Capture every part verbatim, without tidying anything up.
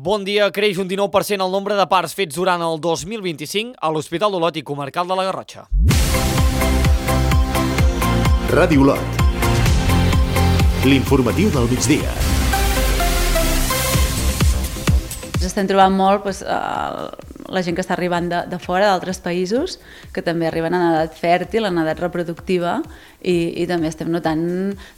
Bon dia. Creix un dinou per cent el nombre de parts fets durant el dos mil vint-i-cinc a l'Hospital d'Olot i Comarcal de la Garrotxa. Ràdio Olot. L'informatiu del migdia. Ens estem trobant molt doncs, la gent que està arribant de, de fora, d'altres països, que també arriben en edat fèrtil, en edat reproductiva, i, i també estem notant,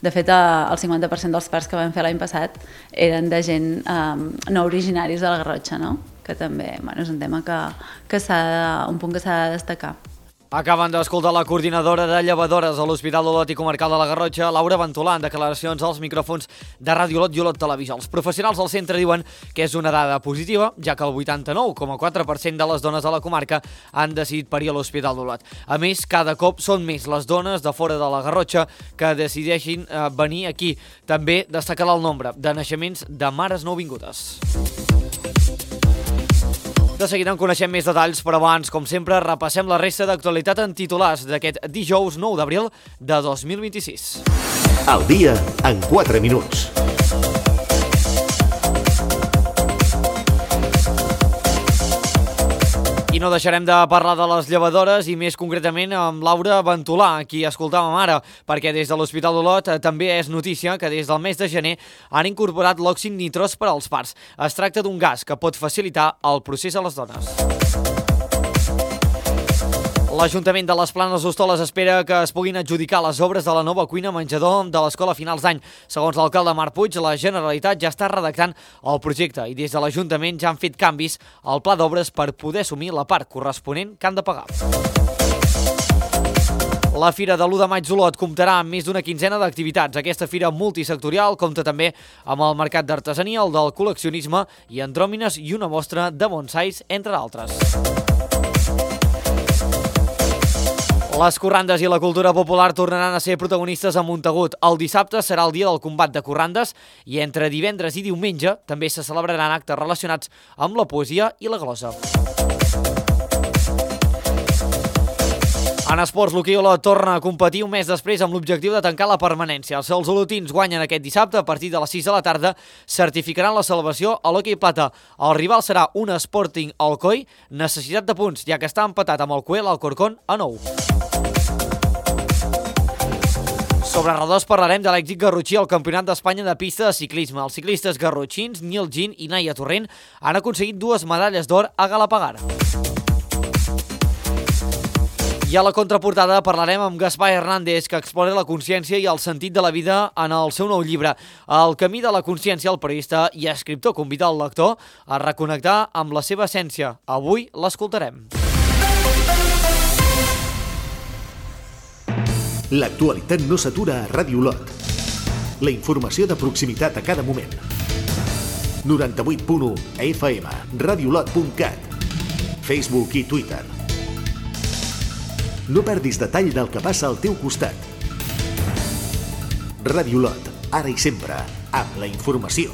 de fet, el cinquanta per cent dels parts que vam fer l'any passat eren de gent um, no originaris de la Garrotxa, no? Que també bueno, és un tema que, que s'ha de, un punt que s'ha de destacar. Acaben d'escoltar la coordinadora de llevadores a l'Hospital d'Olot i Comarcal de la Garrotxa, Laura Ventolà, en declaracions als micròfons de Ràdio Olot i Olot Televisió. Els professionals del centre diuen que és una dada positiva, ja que el vuitanta-nou coma quatre per cent de les dones de la comarca han decidit parir a l'Hospital d'Olot. A més, cada cop són més les dones de fora de la Garrotxa que decideixin eh, venir aquí. També destacarà el nombre de naixements de mares nouvingudes. De seguida en coneixem més detalls, però abans, com sempre, repassem la resta d'actualitat en titulars d'aquest dijous nou d'abril de dos mil vint-i-sis. El dia en quatre minuts. I no deixarem de parlar de les llevadores i més concretament amb Laura Ventolà, qui escoltàvem ara, perquè des de l'Hospital d'Olot també és notícia que des del mes de gener han incorporat l'òxid nitrós per als parts. Es tracta d'un gas que pot facilitar el procés a les dones. L'Ajuntament de les Planes d'Hostoles espera que es puguin adjudicar les obres de la nova cuina menjador de l'escola a finals d'any. Segons l'alcalde Marc Puig, la Generalitat ja està redactant el projecte i des de l'Ajuntament ja han fet canvis al pla d'obres per poder assumir la part corresponent que han de pagar. La Fira de l'u de maig d'Olot comptarà amb més d'una quinzena d'activitats. Aquesta fira multisectorial compta també amb el mercat d'artesania, el del col·leccionisme i andròmines i una mostra de bonsais, entre d'altres. Les corrandes i la cultura popular tornaran a ser protagonistes a Montagut. El dissabte serà el dia del combat de corrandes i entre divendres i diumenge també se celebraran actes relacionats amb la poesia i la glosa. En esports, l'hoquei Olot torna a competir un mes després amb l'objectiu de tancar la permanència. Si els olotins guanyen aquest dissabte a partir de les sis de la tarda, certificaran la salvació a l'hoquei plata. El rival serà un Sporting Alcoi, necessitat de punts, ja que està empatat amb el Coel Alcorcón a nou. Sobre redós parlarem de l'èxit garrotxí al Campionat d'Espanya de pista de ciclisme. Els ciclistes garrotxins Nil Gin i Naia Torrent han aconseguit dues medalles d'or a Galapagar. I a la contraportada parlarem amb Gaspar Hernández, que explora la consciència i el sentit de la vida en el seu nou llibre. El camí de la consciència, el periodista i escriptor convida el lector a reconnectar amb la seva essència. Avui l'escoltarem. L'actualitat no s'atura a Ràdio Olot. La informació de proximitat a cada moment. noranta-vuit punt u F M, radiolot punt cat, Facebook i Twitter. No perdis detall del que passa al teu costat. Ràdio Olot, ara i sempre, amb la informació.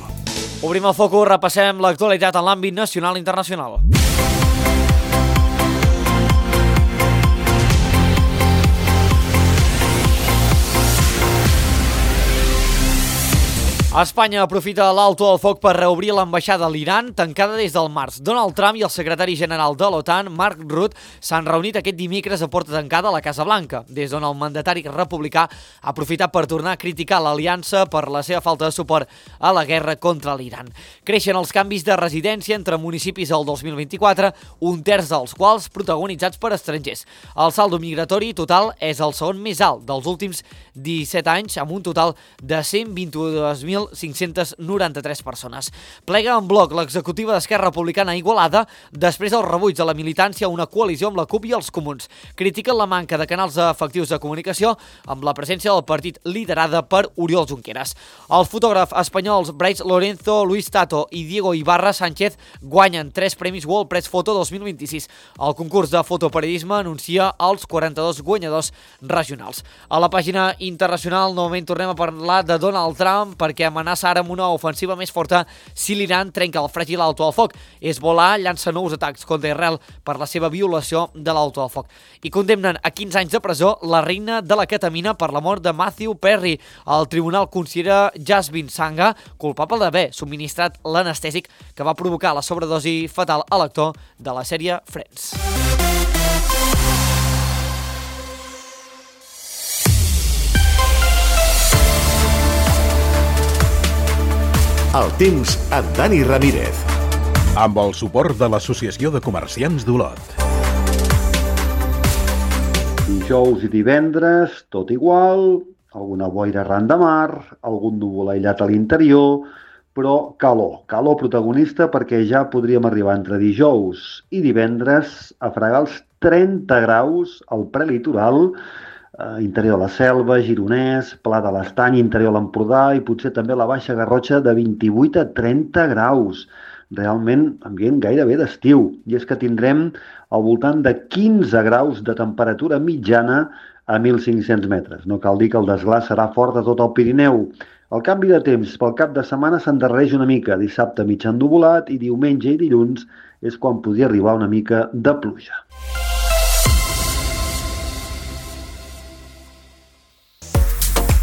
Obrim el focus, repassem l'actualitat en l'àmbit nacional i internacional. Espanya aprofita l'alto al foc per reobrir l'ambaixada a l'Iran, tancada des del març. Donald Trump i el secretari general de l'OTAN, Mark Rutte, s'han reunit aquest dimecres a porta tancada a la Casa Blanca, des d'on el mandatari republicà ha aprofitat per tornar a criticar l'aliança per la seva falta de suport a la guerra contra l'Iran. Creixen els canvis de residència entre municipis el dos mil vint-i-quatre, un terç dels quals protagonitzats per estrangers. El saldo migratori total és el segon més alt dels últims disset anys, amb un total de cent vint-i-dos mil cinc-cents noranta-tres persones. Plega en bloc l'executiva d'Esquerra Republicana a Igualada després del rebuig de la militància a una coalició amb la CUP i els comuns. Critiquen la manca de canals efectius de comunicació amb la presència del partit liderada per Oriol Junqueras. Els fotògrafs espanyols Bryce Lorenzo, Luis Tato i Diego Ibarra Sánchez guanyen tres premis World Press Photo dos mil vint-i-sis. El concurs de fotoperiodisme anuncia els quaranta-dos guanyadors regionals. A la pàgina internacional novament tornem a parlar de Donald Trump perquè amenaça ara amb una ofensiva més forta si l'Iran trenca el fràgil alto al foc. Hezbollah llança nous atacs contra Israel per la seva violació de l'alto al foc. I condemnen a quinze anys de presó la reina de la ketamina per la mort de Matthew Perry. El tribunal considera Jasmine Sanga culpable d'haver subministrat l'anestèsic que va provocar la sobredosi fatal a l'actor de la sèrie Friends. El temps amb Dani Ramírez. Amb el suport de l'Associació de Comerciants d'Olot. Dijous i divendres, tot igual, alguna boira arran de mar, algun núvol aïllat a l'interior, però calor, calor protagonista perquè ja podríem arribar entre dijous i divendres a fregar els trenta graus al prelitoral, eh, interior de la Selva, Gironès, Pla de l'Estany, interior de l'Empordà i potser també la Baixa Garrotxa de vint-i-vuit a trenta graus. Realment ambient gairebé d'estiu. I és que tindrem al voltant de quinze graus de temperatura mitjana a mil cinc-cents metres. No cal dir que el desglàs serà fort a tot el Pirineu. El canvi de temps pel cap de setmana s'endarrereix una mica. Dissabte mig ennuvolat i diumenge i dilluns és quan podria arribar una mica de pluja.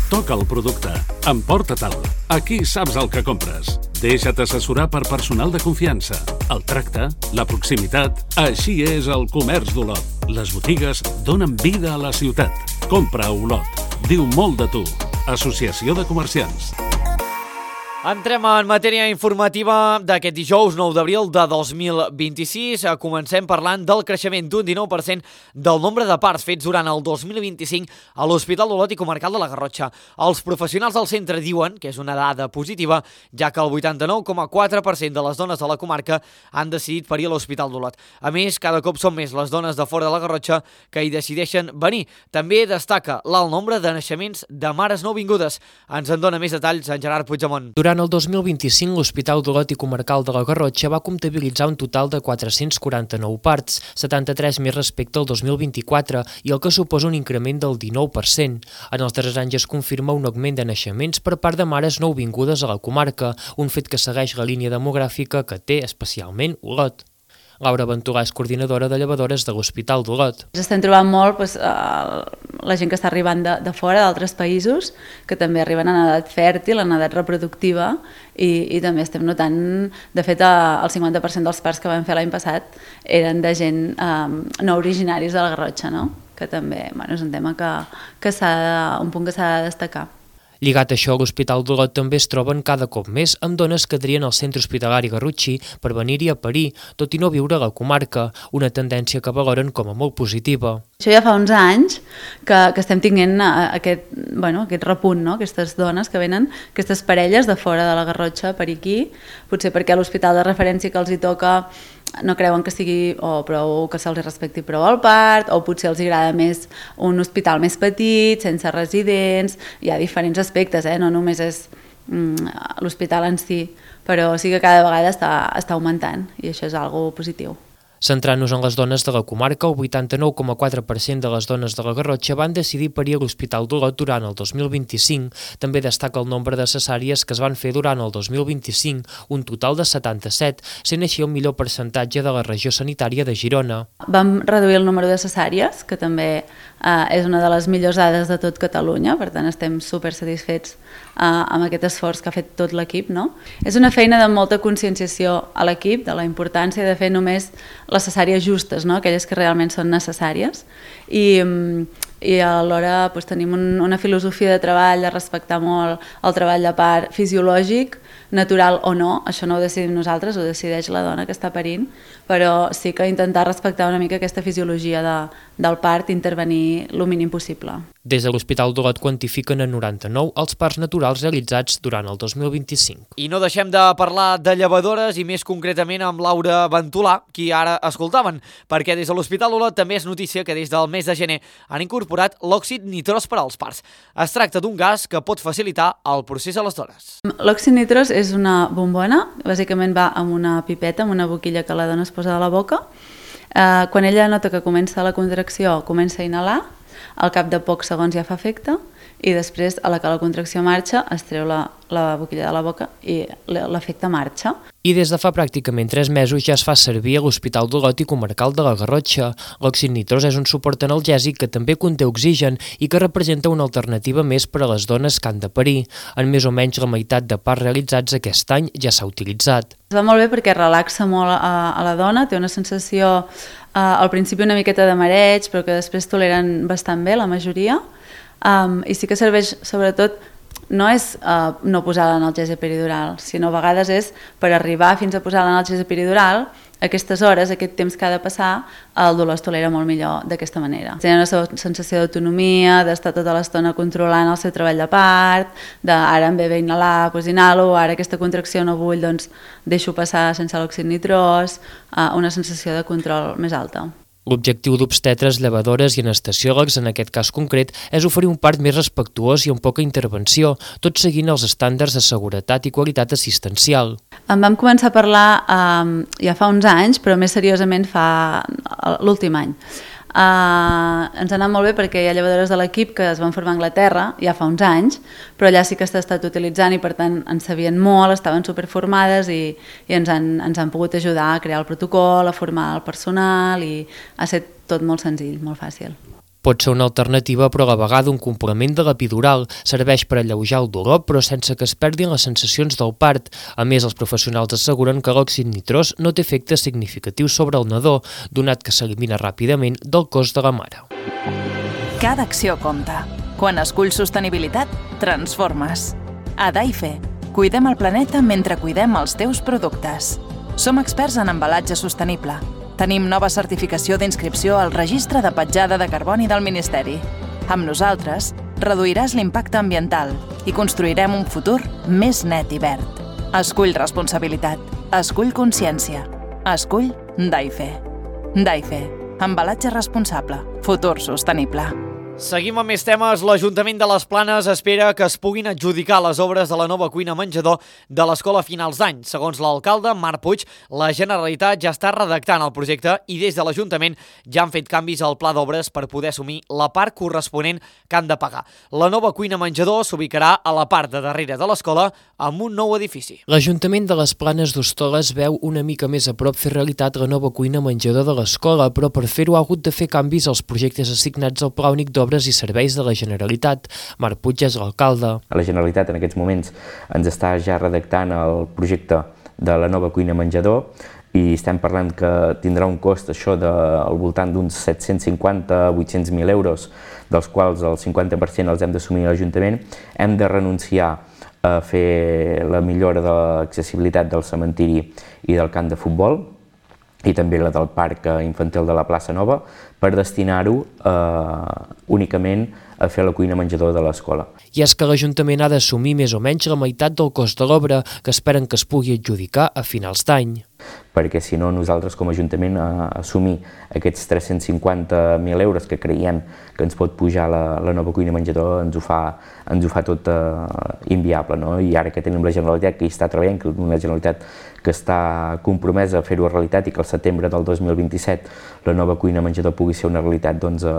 Toca el producte. Emporta-te'l. Aquí saps el que compres. Deixa't assessorar per personal de confiança. El tracte, la proximitat... Així és el comerç d'Olot. Les botigues donen vida a la ciutat. Compra a Olot. Diu molt de tu. Associació de Comerciants. Entrem en matèria informativa d'aquest dijous nou d'abril de dos mil vint-i-sis. Comencem parlant del creixement d'un dinou per cent del nombre de parts fets durant el dos mil vint-i-cinc a l'Hospital d'Olot i Comarcal de la Garrotxa. Els professionals del centre diuen que és una dada positiva, ja que el vuitanta-nou coma quatre per cent de les dones de la comarca han decidit parir a l'Hospital d'Olot. A més, cada cop són més les dones de fora de la Garrotxa que hi decideixen venir. També destaca l'alt nombre de naixements de mares nouvingudes. Ens en dona més detalls en Gerard Puigdemont. Durant el dos mil vint-i-cinc, l'Hospital d'Olot i Comarcal de la Garrotxa va comptabilitzar un total de quatre-cents quaranta-nou parts, setanta-tres més respecte al dos mil vint-i-quatre, i el que suposa un increment del dinou per cent. En els darrers anys es confirma un augment de naixements per part de mares nouvingudes a la comarca, un fet que segueix la línia demogràfica que té especialment Olot. Laura Venturà és coordinadora de llevadores de l'Hospital d'Olot. Ens estem trobant molt doncs, la gent que està arribant de, de fora, d'altres països, que també arriben en edat fèrtil, en edat reproductiva, i, i també estem notant, de fet, el cinquanta per cent dels parts que vam fer l'any passat eren de gent eh, no originaris de la Garrotxa, no? Que també bueno, és un tema que, que s'ha de, un punt que s'ha de destacar. Lligat a això, l'Hospital d'Olot també es troben cada cop més amb dones que trien al centre hospitalari Garrotxí per venir-hi a parir, tot i no viure a la comarca, una tendència que valoren com a molt positiva. Això ja fa uns anys que, que estem tinguent aquest, bueno, aquest repunt, no? Aquestes dones que venen, aquestes parelles de fora de la Garrotxa per aquí, potser perquè a l'hospital de referència que els hi toca no creuen que sigui o prou que se'ls respecti prou el part, o potser els agrada més un hospital més petit, sense residents. Hi ha diferents aspectes, eh? No només és mm, l'hospital en si, però sí que cada vegada està, està augmentant i això és algo positiu. Centrant-nos en les dones de la comarca, el vuitanta-nou coma quatre per cent de les dones de la Garrotxa van decidir parir a l'Hospital d'Olot durant el dos mil vint-i-cinc. També destaca el nombre de cesàries que es van fer durant el dos mil vint-i-cinc, un total de setanta-set, sent així el millor percentatge de la regió sanitària de Girona. Vam reduir el número de cesàries, que també eh, és una de les millors dades de tot Catalunya, per tant estem super satisfets eh, amb aquest esforç que ha fet tot l'equip, no? És una feina de molta conscienciació a l'equip, de la importància de fer només les cesàries justes, no? Aquelles que realment són necessàries, i, i alhora doncs, tenim un, una filosofia de treball de respectar molt el treball de part fisiològic, natural o no, això no ho decidim nosaltres, ho decideix la dona que està parint, però sí que intentar respectar una mica aquesta fisiologia de, del part i intervenir el mínim possible. Des de l'Hospital d'Olot quantifiquen en noranta-nou els parts naturals realitzats durant el dos mil vint-i-cinc. I no deixem de parlar de llevadores i més concretament amb Laura Ventolà, qui ara escoltaven, perquè des de l'Hospital d'Olot també és notícia que des del mes de gener han incorporat l'òxid nitrós per als parts. Es tracta d'un gas que pot facilitar el procés a les dones. L'òxid nitrós és una bombona, bàsicament va amb una pipeta, amb una boquilla que la dona es posa a la boca. Eh, quan ella nota que comença la contracció, comença a inhalar, al cap de pocs segons ja fa efecte, i després, a la que la contracció marxa, es treu la, la boquilla de la boca i l'efecte marxa. I des de fa pràcticament tres mesos ja es fa servir a l'Hospital d'Olot i Comarcal de la Garrotxa. L'òxid nitrós és un suport analgèsic que també conté oxigen i que representa una alternativa més per a les dones que han de parir. En més o menys la meitat de parts realitzats aquest any ja s'ha utilitzat. Es va molt bé perquè relaxa molt a, a la dona, té una sensació uh, al principi una miqueta de mareig, però que després toleren bastant bé la majoria, um, i sí que serveix sobretot no és uh, no posar l'analgèsia peridural, sinó a vegades és per arribar fins a posar l'analgèsia peridural, aquestes hores, aquest temps que ha de passar, el dolor es tolera molt millor d'aquesta manera. Tenen una sensació d'autonomia, d'estar tota l'estona controlant el seu treball de part, de ara em ve bé inhalar, doncs inhalo, ara aquesta contracció no vull, doncs deixo passar sense l'òxid nitrós, uh, una sensació de control més alta. L'objectiu d'obstetres, llevadores i anestesiòlegs, en aquest cas concret, és oferir un part més respectuós i amb poca intervenció, tot seguint els estàndards de seguretat i qualitat assistencial. En vam començar a parlar um, ja fa uns anys, però més seriosament fa l'últim any. Uh, ens ha anat molt bé perquè hi ha llevadores de l'equip que es van formar a Anglaterra ja fa uns anys, però allà sí que s'ha estat utilitzant i per tant en sabien molt, estaven superformades i, i ens, han, ens han pogut ajudar a crear el protocol, a formar el personal i ha estat tot molt senzill, molt fàcil. Pot ser una alternativa, però a la vegada un complement de l'epidural. Serveix per alleujar el dolor, però sense que es perdin les sensacions del part. A més, els professionals asseguren que l'òxid nitrós no té efectes significatius sobre el nadó, donat que s'elimina ràpidament del cos de la mare. Cada acció compta. Quan esculls sostenibilitat, transformes. A Daife, cuidem el planeta mentre cuidem els teus productes. Som experts en embalatge sostenible. Tenim nova certificació d'inscripció al Registre de Petjada de Carboni del Ministeri. Amb nosaltres, reduiràs l'impacte ambiental i construirem un futur més net i verd. Escull responsabilitat. Escull consciència. Escull Daife. Daife. Embalatge responsable. Futur sostenible. Seguim amb més temes. L'Ajuntament de les Planes espera que es puguin adjudicar les obres de la nova cuina menjador de l'escola a finals d'any. Segons l'alcalde, Marc Puig, la Generalitat ja està redactant el projecte i des de l'Ajuntament ja han fet canvis al pla d'obres per poder assumir la part corresponent que han de pagar. La nova cuina menjador s'ubicarà a la part de darrere de l'escola amb un nou edifici. L'Ajuntament de les Planes d'Hostoles veu una mica més a prop fer realitat la nova cuina menjador de l'escola, però per fer-ho ha hagut de fer canvis als projectes assignats al Pla Únic d'Obres i Serveis de la Generalitat. Marc Puig és l'alcalde. La Generalitat en aquests moments ens està ja redactant el projecte de la nova cuina menjador i estem parlant que tindrà un cost això de, al voltant d'uns set-cents cinquanta a vuit-cents mil euros, dels quals el cinquanta per cent els hem d'assumir a l'Ajuntament. Hem de renunciar a fer la millora de l'accessibilitat del cementiri i del camp de futbol i també la del parc infantil de la plaça Nova, per destinar-ho eh, únicament a fer la cuina menjador de l'escola. I és que l'Ajuntament ha d'assumir més o menys la meitat del cost de l'obra, que esperen que es pugui adjudicar a finals d'any. Perquè si no nosaltres com a Ajuntament a assumir aquests tres-cents cinquanta mil euros que creiem que ens pot pujar la, la nova cuina menjador ens ho fa, ens ho fa tot eh, inviable, no? I ara que tenim la Generalitat que hi està treballant, que una Generalitat que està compromesa a fer-ho realitat i que al setembre del dos mil vint-i-set la nova cuina menjador pugui ser una realitat, doncs eh,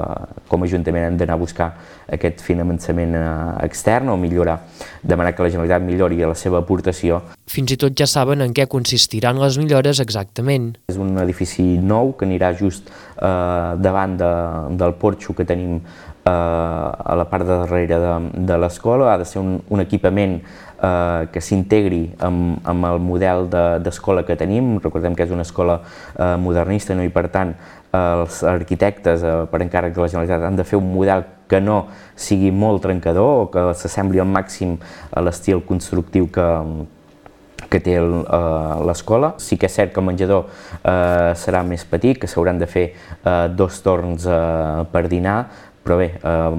com a Ajuntament hem d'anar a buscar aquest finançament eh, extern o millorar, demanar que la Generalitat millori la seva aportació. Fins i tot ja saben en què consistiran les millores exactament. És un edifici nou que anirà just eh, davant de, del porxo que tenim eh, a la part de darrere de, de l'escola. Ha de ser un, un equipament eh, que s'integri amb, amb el model d'escola de, que tenim. Recordem que és una escola eh, modernista, no? I per tant els arquitectes eh, per encàrrec de la Generalitat han de fer un model que no sigui molt trencador o que s'assembli al màxim a l'estil constructiu que que té l'escola. Sí que és cert que el menjador eh, serà més petit, que s'hauran de fer eh, dos torns eh, per dinar, però bé, eh,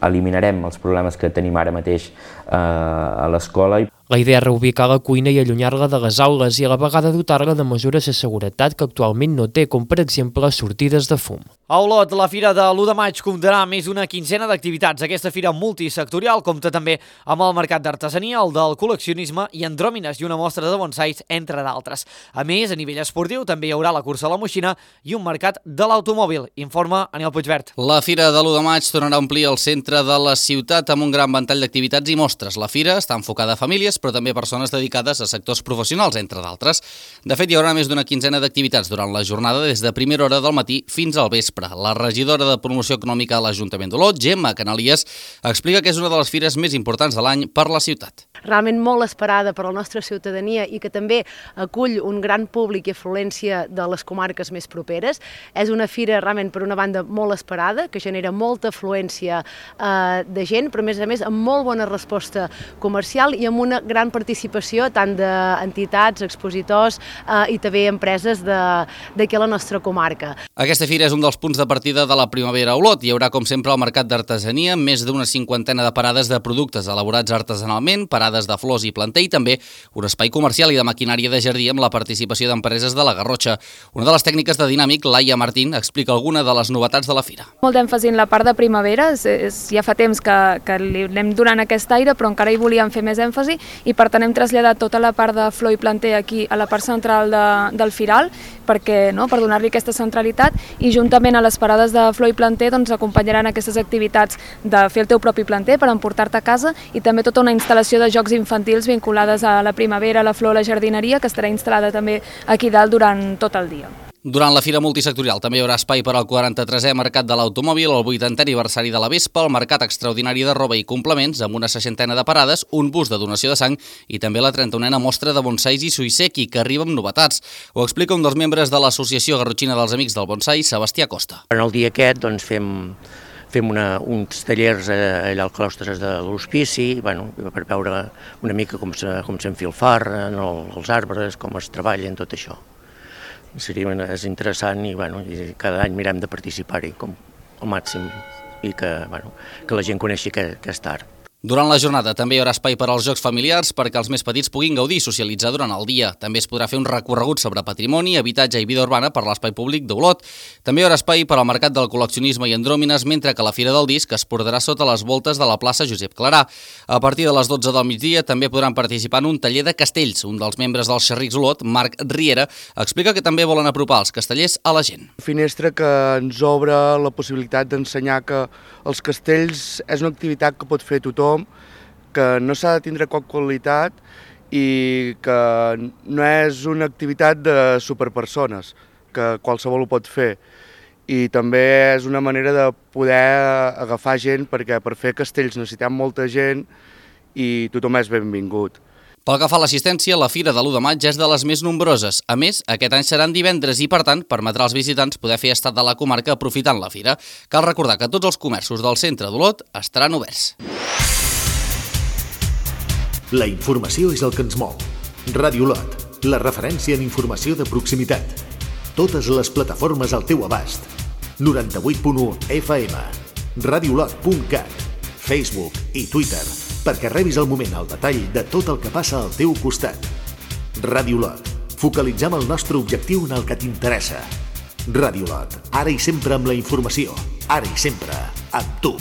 eliminarem els problemes que tenim ara mateix eh, a l'escola. La idea és reubicar la cuina i allunyar-la de les aules i a la vegada dotar-la de mesures de seguretat que actualment no té, com per exemple sortides de fum. A Olot, la Fira de l'u de maig comptarà més d'una quinzena d'activitats. Aquesta fira multisectorial compta també amb el mercat d'artesania, el del col·leccionisme i andròmines i una mostra de bonsais, entre d'altres. A més, a nivell esportiu també hi haurà la cursa a la moixina i un mercat de l'automòbil, informa Aniel Puigvert. La Fira de l'u de maig tornarà a omplir el centre de la ciutat amb un gran ventall d'activitats i mostres. La fira està enfocada a famílies, però també a persones dedicades a sectors professionals, entre d'altres. De fet, hi haurà més d'una quinzena d'activitats durant la jornada des de primera hora del matí fins al vespre. La regidora de Promoció Econòmica a l'Ajuntament d'Olot, Gemma Canalies, explica que és una de les fires més importants de l'any per la ciutat. Realment molt esperada per la nostra ciutadania i que també acull un gran públic i afluència de les comarques més properes. És una fira realment, per una banda, molt esperada, que genera molta afluència eh, de gent, però a més a més amb molt bona resposta comercial i amb una gran participació tant d'entitats, expositors eh, i també empreses d'aquí a la nostra comarca. Aquesta fira és un dels punts de partida de la primavera a Olot. Hi haurà, com sempre, el mercat d'artesania, més d'una cinquantena de parades de productes elaborats artesanalment, parades de flors i planter i també un espai comercial i de maquinària de jardí amb la participació d'empreses de la Garrotxa. Una de les tècniques de Dinàmic, Laia Martín, explica alguna de les novetats de la fira. Molt d'èmfasi en la part de primavera, és, és, ja fa temps que, que li anem donant aquest aire, però encara hi volíem fer més èmfasi i per tant hem traslladat tota la part de flor i planter aquí a la part central de, del firal, perquè, no, per donar-li aquesta centralitat, i juntament a les parades de flor i planter doncs, acompanyaran aquestes activitats de fer el teu propi planter per emportar-te a casa i també tota una instal·lació de jocs infantils vinculades a la primavera, la flor, la jardineria, que estarà instal·lada també aquí dalt durant tot el dia. Durant la fira multisectorial també hi haurà espai per al quaranta-tresè Mercat de l'Automòbil, el vuitantè aniversari de la Vespa, el Mercat Extraordinari de Roba i Complements, amb una seixantena de parades, un bus de donació de sang i també la trenta-unena mostra de bonsais i suïseki, que arriba amb novetats. Ho explica un dels membres de l'Associació Garrotxina dels Amics del Bonsai, Sebastià Costa. En el dia aquest doncs, fem, fem una, uns tallers allà al claustre de l'hospici, bueno, per veure una mica com s'enfilfarren els arbres, com es treballen, tot això. Seria, és interessant i, bueno, i cada any mirem de participar-hi com al màxim i que, bueno, que la gent coneixi aquest art. Durant la jornada també hi haurà espai per als jocs familiars perquè els més petits puguin gaudir i socialitzar durant el dia. També es podrà fer un recorregut sobre patrimoni, habitatge i vida urbana per l'espai públic d'Olot. També hi haurà espai per al mercat del col·leccionisme i andròmines, mentre que la Fira del Disc es portarà sota les voltes de la plaça Josep Clarà. A partir de les dotze del migdia també podran participar en un taller de castells. Un dels membres dels Xerrics Olot, Marc Riera, explica que també volen apropar els castellers a la gent. Finestra que ens obre la possibilitat d'ensenyar que els castells és una activitat que pot fer tothom, que no s'ha de tindre cap qualitat i que no és una activitat de superpersones, que qualsevol ho pot fer. I també és una manera de poder agafar gent, perquè per fer castells necessitem molta gent i tothom és benvingut. Pel que fa a l'assistència, la Fira de l'u de maig és de les més nombroses. A més, aquest any seran divendres i, per tant, permetrà als visitants poder fer estat de la comarca aprofitant la fira. Cal recordar que tots els comerços del centre d'Olot estaran oberts. La informació és el que ens mou. Ràdio Olot, la referència en informació de proximitat. Totes les plataformes al teu abast. noranta-vuit punt u F M, radiolot punt cat, Facebook i Twitter, perquè rebis al moment el detall de tot el que passa al teu costat. Ràdio Olot, focalitzem el nostre objectiu en el que t'interessa. Ràdio Olot, ara i sempre amb la informació, ara i sempre amb tu.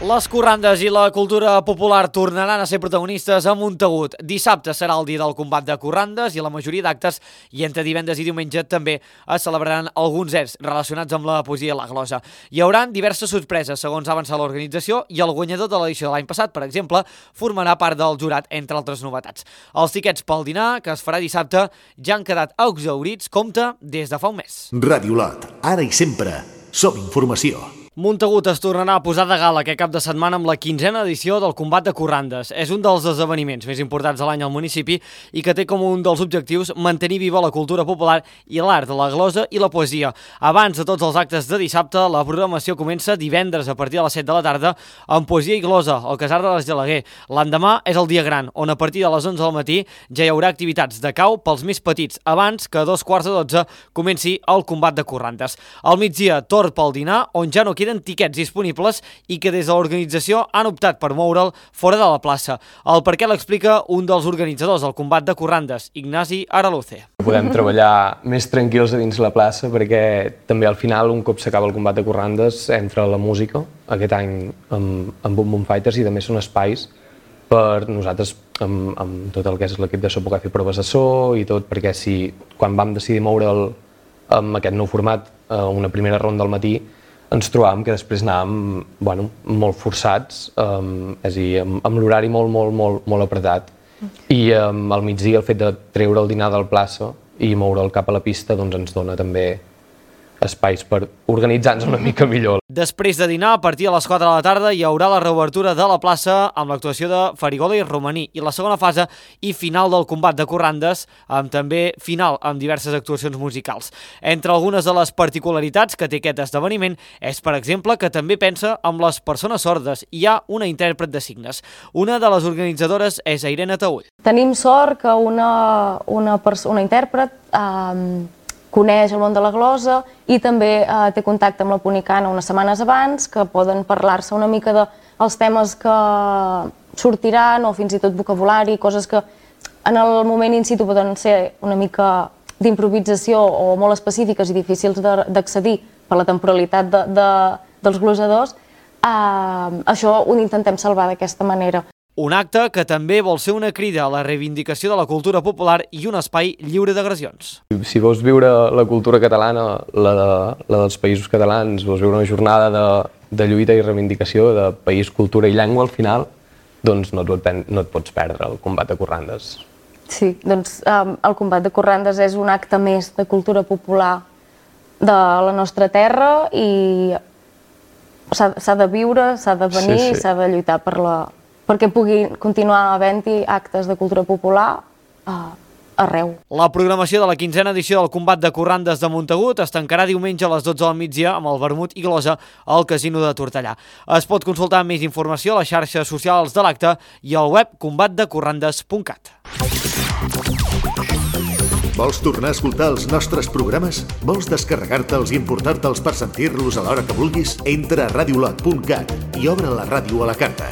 Les corrandes i la cultura popular tornaran a ser protagonistes a Montagut. Dissabte serà el dia del combat de corrandes i la majoria d'actes, i entre divendres i diumenge també es celebraran alguns erts relacionats amb la poesia i la glosa. Hi haurà diverses sorpreses, segons ha avançat l'organització, i el guanyador de l'edició de l'any passat, per exemple, formarà part del jurat, entre altres novetats. Els tiquets pel dinar, que es farà dissabte, ja han quedat exhaurits, compte, des de fa un mes. Ràdio Olot, ara i sempre, som informació. Montagut es tornarà a posar de gala aquest cap de setmana amb la quinzena edició del Combat de Corrandes. És un dels esdeveniments més importants de l'any al municipi i que té com un dels objectius mantenir viva la cultura popular i l'art, la glosa i la poesia. Abans de tots els actes de dissabte, la programació comença divendres a partir de les set de la tarda amb poesia i glosa al Casar de l'Esgeleguer. L'endemà és el dia gran, on a partir de les onze del matí ja hi haurà activitats de cau pels més petits, abans que a dos quarts de dotze comenci el Combat de Corrandes. Al migdia, torn pel dinar, on ja no queden tiquets disponibles i que des de l'organització han optat per moure'l fora de la plaça. El per què l'explica un dels organitzadors del combat de corrandes, Ignasi Araluce. Podem treballar més tranquils a dins la plaça perquè també al final, un cop s'acaba el combat de corrandes, entra la música, aquest any amb, amb Boom Boom Fighters, i també són espais per nosaltres, amb, amb tot el que és l'equip de so, poder fer proves de so i tot, perquè si quan vam decidir moure'l amb aquest nou format, a una primera ronda al matí, ens trobàvem que després anàvem bueno, molt forçats, um, és a dir, amb, amb l'horari molt, molt, molt, molt apretat. I um, al migdia el fet de treure el dinar del plaça i moure'l cap a la pista doncs ens dona també espais per organitzar-nos una mica millor. Després de dinar, a partir de les quatre de la tarda, hi haurà la reobertura de la plaça amb l'actuació de Farigola i Romaní i la segona fase i final del combat de corrandes, amb també final amb diverses actuacions musicals. Entre algunes de les particularitats que té aquest esdeveniment és, per exemple, que també pensa en les persones sordes. Hi ha una intèrpret de signes. Una de les organitzadores és Irene Taüll. Tenim sort que una, una, una intèrpret eh, coneix el món de la glosa i també eh, té contacte amb la Punicana unes setmanes abans, que poden parlar-se una mica dels temes que sortiran o fins i tot vocabulari, coses que en el moment in situ poden ser una mica d'improvisació o molt específiques i difícils d'accedir per la temporalitat de, de, dels glosadors. Eh, això ho intentem salvar d'aquesta manera. Un acte que també vol ser una crida a la reivindicació de la cultura popular i un espai lliure d'agressions. Si vols viure la cultura catalana, la, de, la dels països catalans, vols viure una jornada de, de lluita i reivindicació de país, cultura i llengua al final, doncs no et, no et pots perdre el combat de corrandes. Sí, doncs um, el combat de corrandes és un acte més de cultura popular de la nostra terra i s'ha de viure, s'ha de venir, sí, sí. s'ha de lluitar per la... perquè pugui continuar havent-hi actes de cultura popular uh, arreu. La programació de la quinzena edició del combat de corrandes de Montagut es tancarà diumenge a les dotze del migdia amb el vermut i glosa al Casino de Tortellà. Es pot consultar més informació a les xarxes socials de l'acte i al web combat de corrandes punt cat. Vols tornar a escoltar els nostres programes? Vols descarregar-te'ls i importar-te'ls per sentir-los a l'hora que vulguis? Entra a radiolot punt cat i obre la ràdio a la carta.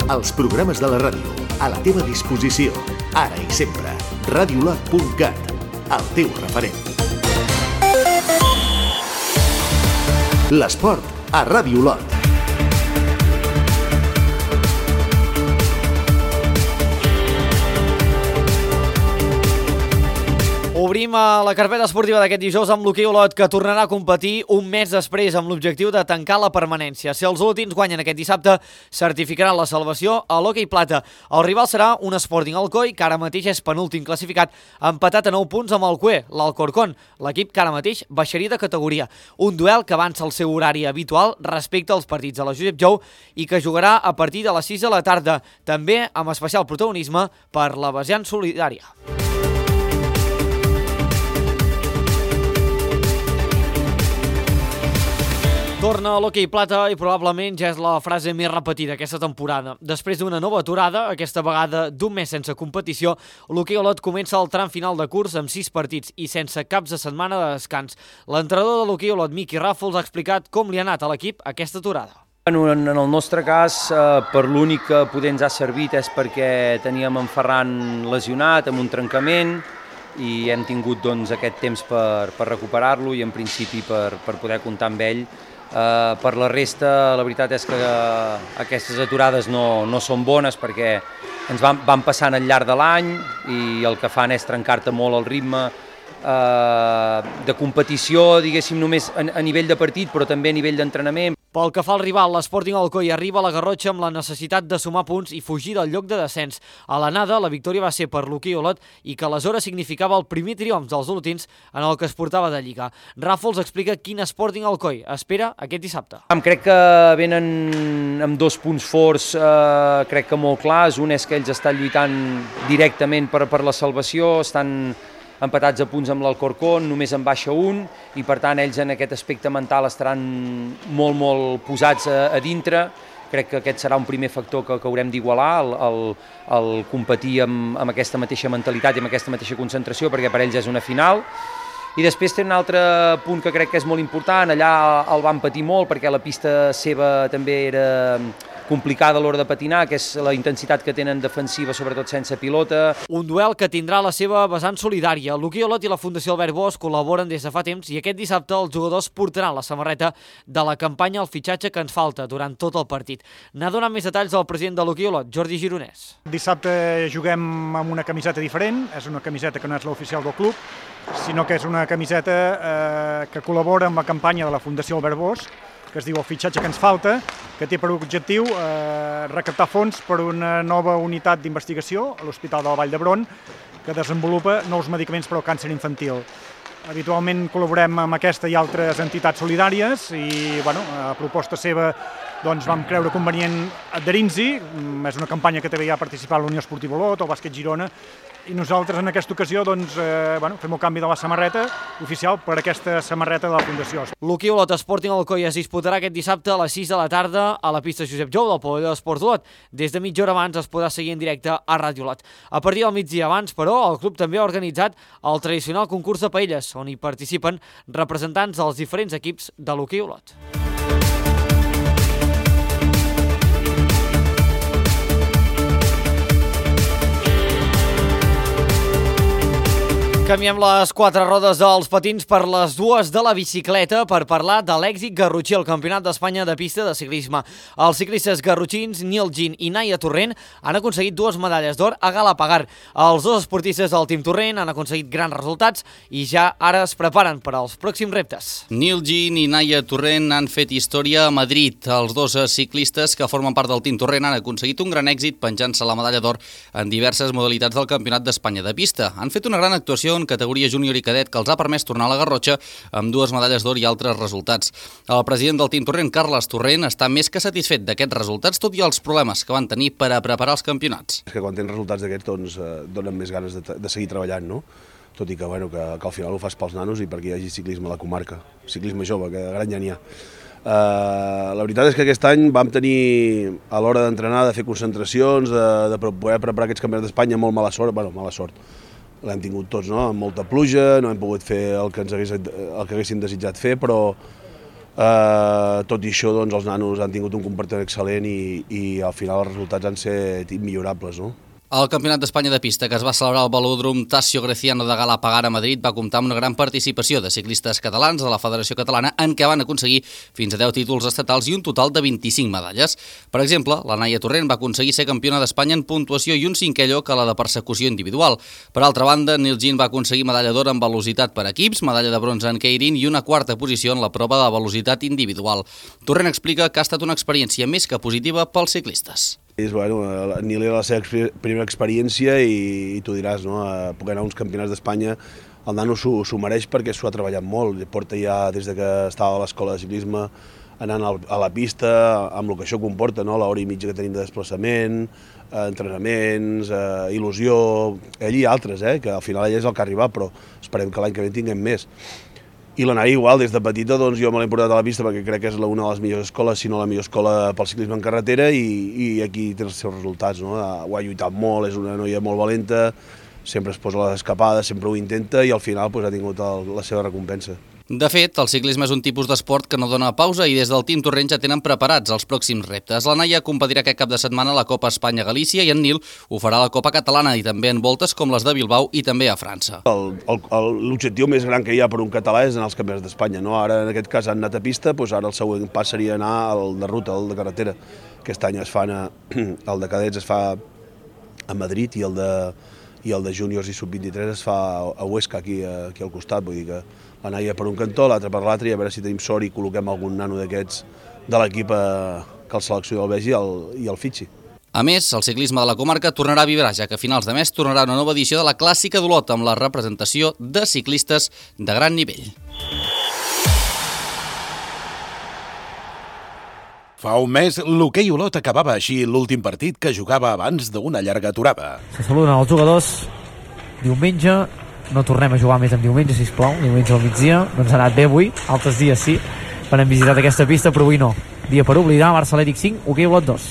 Els programes de la ràdio, a la teva disposició, ara i sempre. radiolot punt cat, el teu referent. L'esport a Ràdio Lot. Obrim a la carpeta esportiva d'aquest dijous amb l'hoquei Olot, que tornarà a competir un mes després amb l'objectiu de tancar la permanència. Si els olotins guanyen aquest dissabte, certificaran la salvació a l'hoquei plata. El rival serà un Sporting Alcoi, que ara mateix és penúltim classificat, empatat a nou punts amb el Cue, l'Alcorcón, l'equip que ara mateix baixaria de categoria. Un duel que avança el seu horari habitual respecte als partits de la Josep Jou i que jugarà a partir de les sis de la tarda, també amb especial protagonisme per la vessant solidària. Torna a l'hoquei plata i probablement ja és la frase més repetida aquesta temporada. Després d'una nova aturada, aquesta vegada d'un mes sense competició, l'hoquei Olot comença el tram final de curs amb sis partits i sense caps de setmana de descans. L'entrenador de l'hoquei Olot, Miqui Ràfols, ha explicat com li ha anat a l'equip aquesta aturada. En el nostre cas, per l'únic que poder ens ha servit és perquè teníem en Ferran lesionat amb un trencament i hem tingut doncs, aquest temps per, per recuperar-lo i en principi per, per poder comptar amb ell. Uh, per la resta, la veritat és que uh, aquestes aturades no, no són bones perquè ens van, van passant al llarg de l'any i el que fan és trencar-te molt el ritme uh, de competició, diguéssim, només a, a nivell de partit, però també a nivell d'entrenament. Pel que fa al rival, l'Sporting Alcoi arriba a la Garrotxa amb la necessitat de sumar punts i fugir del lloc de descens. A l'anada, la victòria va ser per l'hoquei Olot i que aleshores significava el primer triomf dels olotins en el que es portava de Lliga. Ràfols explica quin Sporting Alcoi espera aquest dissabte. Crec que venen amb dos punts forts, eh, crec que molt clars. Un és que ells estan lluitant directament per, per la salvació, estan empatats a punts amb l'Alcorcón, només en baixa un, i per tant ells en aquest aspecte mental estaran molt, molt posats a, a dintre. Crec que aquest serà un primer factor que, que haurem d'igualar, el, el, el competir amb, amb aquesta mateixa mentalitat i amb aquesta mateixa concentració, perquè per ells és una final. I després té un altre punt que crec que és molt important, allà el van patir molt perquè la pista seva també era complicada a l'hora de patinar, que és la intensitat que tenen defensiva, sobretot sense pilota. Un duel que tindrà la seva vessant solidària. L'Hoquei Olot i la Fundació Albert Bosch col·laboren des de fa temps i aquest dissabte els jugadors portaran la samarreta de la campanya al fitxatge que ens falta durant tot el partit. N'ha donat més detalls el president de l'Hoquei Olot, Jordi Gironès. Dissabte juguem amb una camiseta diferent, és una camiseta que no és l'oficial del club, sinó que és una camiseta eh, que col·labora amb la campanya de la Fundació Albert Bosch, que es diu El fitxatge que ens falta, que té per objectiu eh, recaptar fons per una nova unitat d'investigació a l'Hospital de la Vall d'Hebron, que desenvolupa nous medicaments per al càncer infantil. Habitualment col·laborem amb aquesta i altres entitats solidàries i, bueno, a proposta seva doncs, vam creure convenient adherir-nos-hi. És una campanya que també hi ha participat l'Unió Esportiva Olot, el Bàsquet Girona, i nosaltres en aquesta ocasió doncs, eh, bueno, fem el canvi de la samarreta oficial per aquesta samarreta de la Fundació. L'Hoquei Olot Sporting Alcoi es disputarà aquest dissabte a les sis de la tarda a la pista Josep Jou del pavelló d'Esports Olot. Des de mitja hora abans es podrà seguir en directe a Ràdio Olot. A partir del migdia abans, però, el club també ha organitzat el tradicional concurs de paelles, on hi participen representants dels diferents equips de l'Hoquei Olot. Canviem les quatre rodes dels patins per les dues de la bicicleta per parlar de l'èxit garrotxí al Campionat d'Espanya de pista de ciclisme. Els ciclistes garrotxins Nil Gin i Naia Torrent han aconseguit dues medalles d'or a Galapagar. Els dos esportistes del Team Torrent han aconseguit grans resultats i ja ara es preparen per als pròxims reptes. Nil Gin i Naia Torrent han fet història a Madrid. Els dos ciclistes que formen part del Team Torrent han aconseguit un gran èxit penjant-se la medalla d'or en diverses modalitats del Campionat d'Espanya de pista. Han fet una gran actuació en categoria júnior i cadet que els ha permès tornar a la Garrotxa amb dues medalles d'or i altres resultats. El president del Team Torrent, Carles Torrent, està més que satisfet d'aquests resultats, tot i els problemes que van tenir per a preparar els campionats. És que quan tens resultats d'aquests doncs, eh, donen més ganes de, de seguir treballant, no? Tot i que, bueno, que, que al final ho fas pels nanos i perquè hi hagi ciclisme a la comarca, ciclisme jove, que de gran ja n'hi ha. Uh, la veritat és que aquest any vam tenir, a l'hora d'entrenar, de fer concentracions, de, de poder preparar aquests campionats d'Espanya, molt mala sort, bueno, mala sort. L'hem tingut tots, no? Amb molta pluja, no hem pogut fer el que, ens hagués, el que haguéssim desitjat fer, però eh, tot i això doncs, els nanos han tingut un comportament excel·lent i, i al final els resultats han set immillorables, no? El Campionat d'Espanya de pista que es va celebrar al velòdrom Tasio Greciano de Galapagar a Madrid va comptar amb una gran participació de ciclistes catalans de la Federació Catalana en què van aconseguir fins a deu títols estatals i un total de vint-i-cinc medalles. Per exemple, la Naia Torrent va aconseguir ser campiona d'Espanya en puntuació i un cinquè lloc a la de persecució individual. Per altra banda, Nil Gin va aconseguir medalla d'or en velocitat per equips, medalla de bronze en keirin i una quarta posició en la prova de velocitat individual. Torrent explica que ha estat una experiència més que positiva pels ciclistes. És, bueno, Nil era la seva primera experiència i, i tu diràs, no? Poder anar a uns campionats d'Espanya, el nano s'ho mereix perquè s'ho ha treballat molt. Porta ja des de que estava a l'escola de ciclisme anant a la pista, amb el que això comporta, no? L'hora i mitja que tenim de desplaçament, entrenaments, eh, il·lusió, ell i altres, eh? Que al final ell és el que ha arribat, però esperem que l'any que ve en tinguem més. I la Naia igual, des de petita doncs, jo me l'he portat a la pista perquè crec que és una de les millors escoles, si no la millor escola pel ciclisme en carretera i, i aquí té els seus resultats, no? Ho ha lluitat molt, és una noia molt valenta, sempre es posa a les escapades, sempre ho intenta i al final pues, ha tingut el, la seva recompensa. De fet, el ciclisme és un tipus d'esport que no dona pausa i des del Team Torrent ja tenen preparats els pròxims reptes. La Naia competirà aquest cap de setmana a la Copa Espanya-Galícia i en Nil ho farà a la Copa Catalana i també en voltes com les de Bilbao i també a França. L'objectiu més gran que hi ha per un català és anar als campionats d'Espanya. No? Ara, en aquest cas, han anat a pista, doncs ara el següent pas seria anar al de ruta, al de carretera. Aquest any es fan a, el de cadets es fa a Madrid i el de, i el de júniors i sub vint-i-tres es fa a Huesca, aquí, aquí al costat. Vull dir que la Naia per un cantó, l'altre per l'altre, i a veure si tenim sort i col·loquem algun nano d'aquests de l'equip que el selecció el vegi i el, i el fitxi. A més, el ciclisme de la comarca tornarà a vibrar, ja que a finals de mes tornarà una nova edició de la Clàssica d'Olot amb la representació de ciclistes de gran nivell. Fa un mes, l'Hoquei Olot acabava així l'últim partit que jugava abans d'una llarga aturada. Se saluden els jugadors diumenge. No tornem a jugar més en diumenge, sisplau, diumenge al migdia, no ens ha anat bé avui, altres dies sí, per hem visitat aquesta pista, però avui no. Dia per oblidar, Barça Atlètic cinc, Hoquei Olot dos.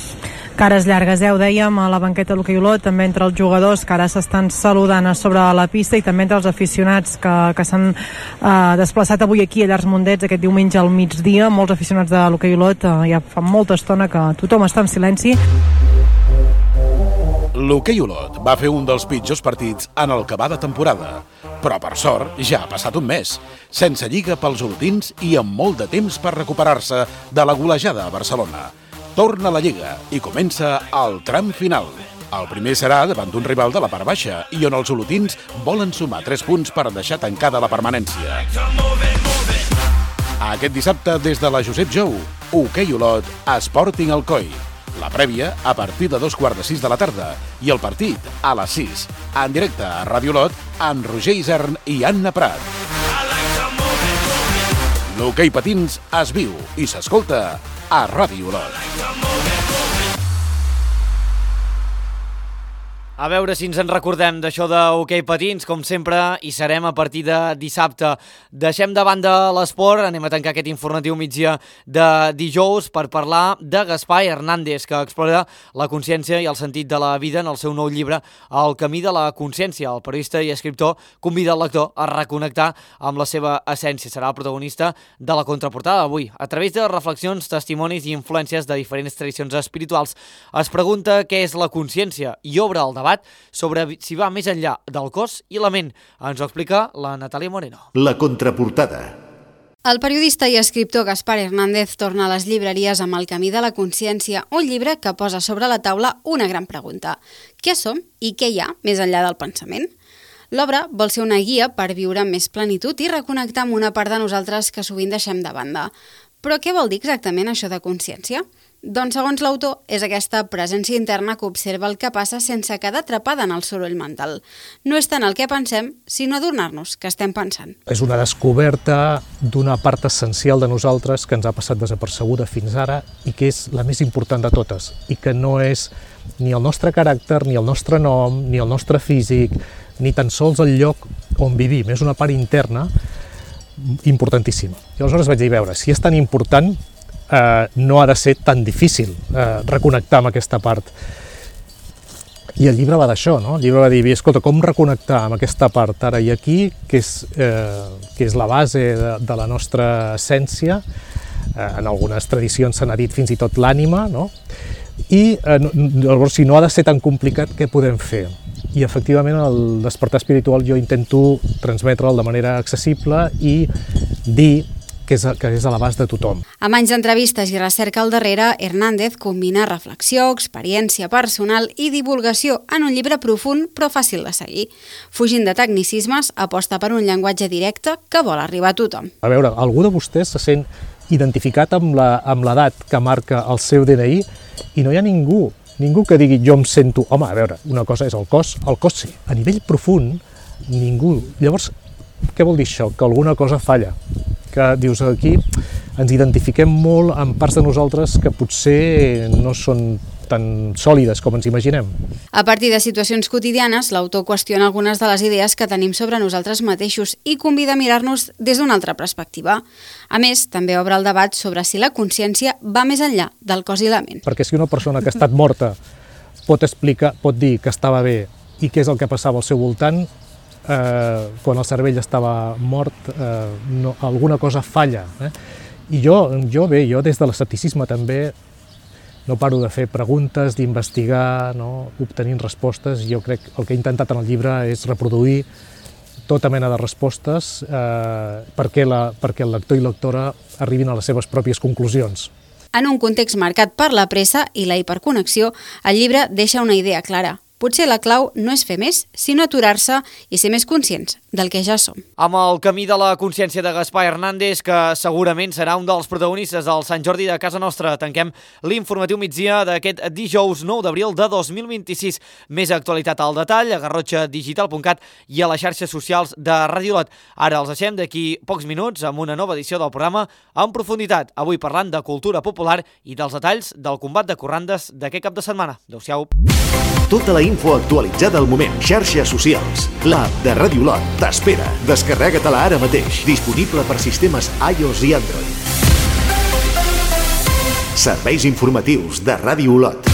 cares llargues, eh? Ho dèiem a la banqueta d'hoquei Olot, també entre els jugadors que ara s'estan saludant a sobre la pista i també entre els aficionats que, que s'han eh, desplaçat avui aquí a Llars Mondets aquest diumenge al migdia. Molts aficionats de l'hoquei Olot, eh, ja fa molta estona que tothom està en silenci. L'hoquei Olot va fer un dels pitjors partits en el que va de temporada, però per sort ja ha passat un mes, sense lliga pels olotins i amb molt de temps per recuperar-se de la golejada a Barcelona. Torna la lliga i comença el tram final. El primer serà davant d'un rival de la part baixa i on els olotins volen sumar tres punts per deixar tancada la permanència. Aquest dissabte, des de la Josep Jou, hoquei Olot, Sporting Alcoi. La prèvia a partir de dos quarts de sis de la tarda i el partit a les sis, en directe a Ràdio Olot amb Roger Isern i Anna Prat. L'hoquei patins es viu i s'escolta a Ràdio Olot. A veure si ens en recordem d'això d'hoquei patins, com sempre, hi serem a partir de dissabte. Deixem de banda l'esport, anem a tancar aquest informatiu migdia de dijous per parlar de Gaspar Hernández, que explora la consciència i el sentit de la vida en el seu nou llibre El camí de la consciència. El periodista i escriptor convida el lector a reconnectar amb la seva essència. Serà el protagonista de la contraportada d'avui. A través de reflexions, testimonis i influències de diferents tradicions espirituals, es pregunta què és la consciència i obre el debat sobre si va més enllà del cos i la ment. Ens ho explica la Natàlia Moreno. La contraportada. El periodista i escriptor Gaspar Hernández torna a les llibreries amb El camí de la consciència, un llibre que posa sobre la taula una gran pregunta. Què som i què hi ha més enllà del pensament? L'obra vol ser una guia per viure amb més plenitud i reconnectar amb una part de nosaltres que sovint deixem de banda. Però què vol dir exactament això de consciència? Doncs, segons l'autor, és aquesta presència interna que observa el que passa sense quedar atrapada en el soroll mental. No és tant el que pensem, sinó adonar-nos que estem pensant. És una descoberta d'una part essencial de nosaltres que ens ha passat desapercebuda fins ara i que és la més important de totes i que no és ni el nostre caràcter, ni el nostre nom, ni el nostre físic, ni tan sols el lloc on vivim. És una part interna importantíssima. I aleshores vaig dir, veure, si és tan important, eh, no ha de ser tan difícil eh, reconnectar amb aquesta part. I el llibre va d'això, no? El llibre va dir, escolta, com reconnectar amb aquesta part ara i aquí, que és, eh, que és la base de, de la nostra essència, eh, en algunes tradicions se n'ha dit fins i tot l'ànima, no? I eh, llavors, si no ha de ser tan complicat, què podem fer? I efectivament el despertar espiritual jo intento transmetre'l de manera accessible i dir que és, que és a l'abast de tothom. Amb anys d'entrevistes i recerca al darrere, Hernández combina reflexió, experiència personal i divulgació en un llibre profund però fàcil de seguir. Fugint de tecnicismes, aposta per un llenguatge directe que vol arribar a tothom. A veure, algú de vostès se sent identificat amb la, amb l'edat que marca el seu D N I i no hi ha ningú Ningú que digui, jo em sento... Home, a veure, una cosa és el cos, el cos sí. A nivell profund, ningú... Llavors, què vol dir això? Que alguna cosa falla. Que dius, aquí ens identifiquem molt amb parts de nosaltres que potser no són tan sòlides com ens imaginem. A partir de situacions quotidianes, l'autor qüestiona algunes de les idees que tenim sobre nosaltres mateixos i convida a mirar-nos des d'una altra perspectiva. A més, també obre el debat sobre si la consciència va més enllà del cos i la ment. Perquè si una persona que ha estat morta pot explicar, pot dir que estava bé i què és el que passava al seu voltant, eh, quan el cervell estava mort, eh, no, alguna cosa falla. Eh? I jo, jo bé, jo des de l'escepticisme també no paro de fer preguntes, d'investigar, no? Obtenint respostes. Jo crec que el que he intentat en el llibre és reproduir tota mena de respostes eh, perquè, la, perquè el lector i lectora arribin a les seves pròpies conclusions. En un context marcat per la pressa i la hiperconnexió, el llibre deixa una idea clara. Potser la clau no és fer més, sinó aturar-se i ser més conscients del que ja som. Amb el camí de la consciència de Gaspar Hernández, que segurament serà un dels protagonistes del Sant Jordi de casa nostra, tanquem l'informatiu migdia d'aquest dijous nou d'abril de dos mil vint-i-sis. Més actualitat al detall a garrotxa digital punt cat i a les xarxes socials de Ràdio Olot. Ara els deixem d'aquí pocs minuts amb una nova edició del programa en profunditat, avui parlant de cultura popular i dels detalls del combat de corrandes d'aquest cap de setmana. Adéu-siau. Tota la info actualitzada al moment. Xarxes socials. L'app de Ràdio Olot t'espera. Descarrega-te-la ara mateix. Disponible per sistemes iOS i Android. Serveis informatius de Ràdio Olot.